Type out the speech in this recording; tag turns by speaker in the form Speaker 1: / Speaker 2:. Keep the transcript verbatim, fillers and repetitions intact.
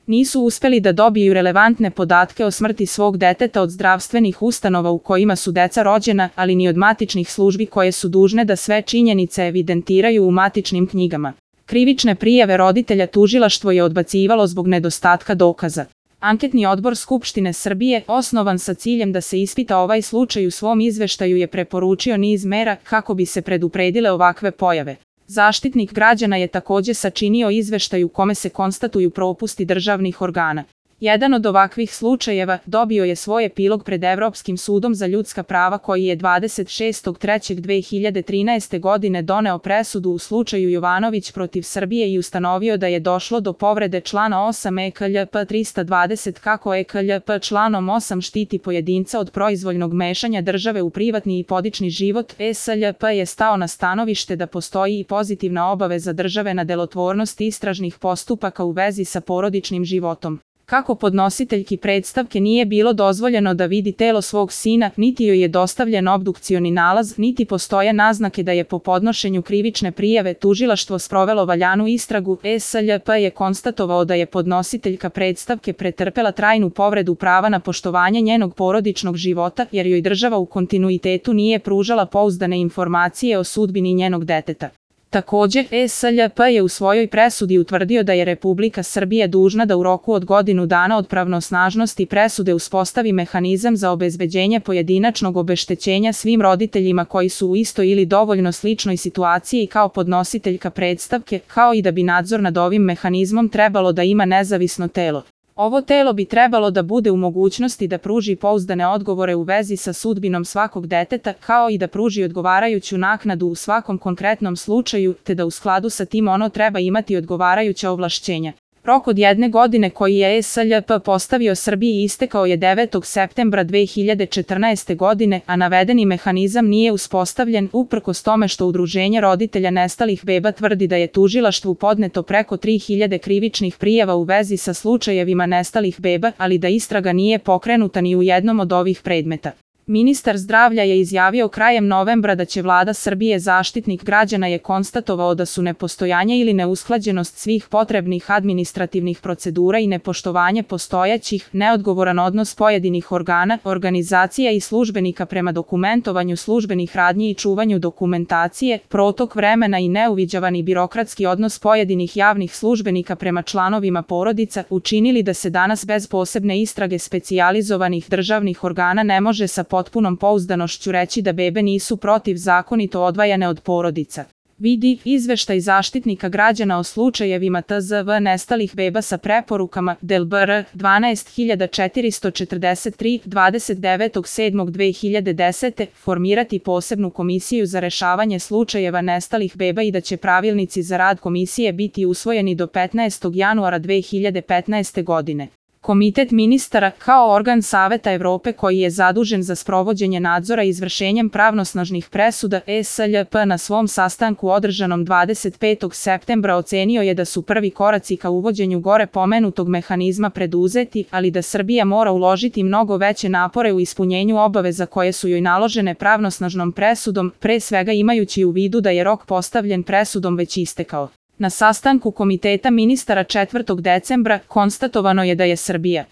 Speaker 1: Nisu uspeli da dobiju relevantne podatke o smrti svog deteta od zdravstvenih ustanova u kojima su deca rođena, ali ni od matičnih službi koje su dužne da sve činjenice evidentiraju u matičnim knjigama. Krivične prijave roditelja tužilaštvo je odbacivalo zbog nedostatka dokaza. Anketni odbor Skupštine Srbije, osnovan sa ciljem da se ispita ovaj slučaj, u svom izveštaju je preporučio niz mera kako bi se predupredile ovakve pojave. Zaštitnik građana je takođe sačinio izveštaj u kome se konstatuju propusti državnih organa. Jedan od ovakvih slučajeva dobio je svoj epilog pred Evropskim sudom za ljudska prava, koji je dvadeset šestog trećeg dve hiljade trinaeste. godine doneo presudu u slučaju Jovanović protiv Srbije i ustanovio da je došlo do povrede člana osam E K L P trista dvadeset, kako E K L P članom osam štiti pojedinca od proizvoljnog mešanja države u privatni i porodični život. S L P je stao na stanovište da postoji i pozitivna obaveza države na delotvornost istražnih postupaka u vezi sa porodičnim životom. Kako podnositeljki predstavke nije bilo dozvoljeno da vidi telo svog sina, niti joj je dostavljen obdukcioni nalaz, niti postoje naznake da je po podnošenju krivične prijave tužilaštvo sprovelo valjanu istragu, S L P je konstatovao da je podnositeljka predstavke pretrpela trajnu povredu prava na poštovanje njenog porodičnog života, jer joj država u kontinuitetu nije pružala pouzdane informacije o sudbini njenog deteta. Takođe, S L P je u svojoj presudi utvrdio da je Republika Srbija dužna da u roku od godinu dana od pravnosnažnosti presude uspostavi mehanizam za obezbeđenje pojedinačnog obeštećenja svim roditeljima koji su u istoj ili dovoljno sličnoj situaciji kao podnositeljka predstavke, kao i da bi nadzor nad ovim mehanizmom trebalo da ima nezavisno telo. Ovo telo bi trebalo da bude u mogućnosti da pruži pouzdane odgovore u vezi sa sudbinom svakog deteta, kao i da pruži odgovarajuću naknadu u svakom konkretnom slučaju, te da u skladu sa tim ono treba imati odgovarajuća ovlašćenja. Rok od jedne godine koji je S L P postavio Srbiji istekao je devetog septembra dve hiljade četrnaeste. godine, a navedeni mehanizam nije uspostavljen, uprkos tome što Udruženje roditelja nestalih beba tvrdi da je tužilaštvu podneto preko tri hiljade krivičnih prijava u vezi sa slučajevima nestalih beba, ali da istraga nije pokrenuta ni u jednom od ovih predmeta. Ministar zdravlja je izjavio krajem novembra da će Vlada Srbije, Zaštitnik građana je konstatovao da su nepostojanje ili neusklađenost svih potrebnih administrativnih procedura i nepoštovanje postojećih, neodgovoran odnos pojedinih organa, organizacija i službenika prema dokumentovanju službenih radnji i čuvanju dokumentacije, protok vremena i neuviđavani birokratski odnos pojedinih javnih službenika prema članovima porodica učinili da se danas bez posebne istrage specijalizovanih državnih organa ne može sa potpunom pouzdanošću reći da bebe nisu protivzakonito odvajane od porodica. Vidi izveštaj Zaštitnika građana o slučajevima T Z V nestalih beba sa preporukama D L B R dvanaest hiljada četiristo četrdeset tri, dvadeset devetog sedmog dve hiljade desete. formirati posebnu komisiju za rešavanje slučajeva nestalih beba i da će pravilnici za rad komisije biti usvojeni do petnaestog januara dve hiljade petnaeste. godine. Komitet ministara, kao organ Saveta Evrope koji je zadužen za sprovođenje nadzora izvršenjem pravnosnažnih presuda, S L P na svom sastanku održanom dvadeset petog septembra ocenio je da su prvi koraci ka uvođenju gore pomenutog mehanizma preduzeti, ali da Srbija mora uložiti mnogo veće napore u ispunjenju obaveza koje su joj naložene pravnosnažnom presudom, pre svega imajući u vidu da je rok postavljen presudom već istekao. Na sastanku Komiteta ministara četvrtog decembra konstatovano je da je Srbija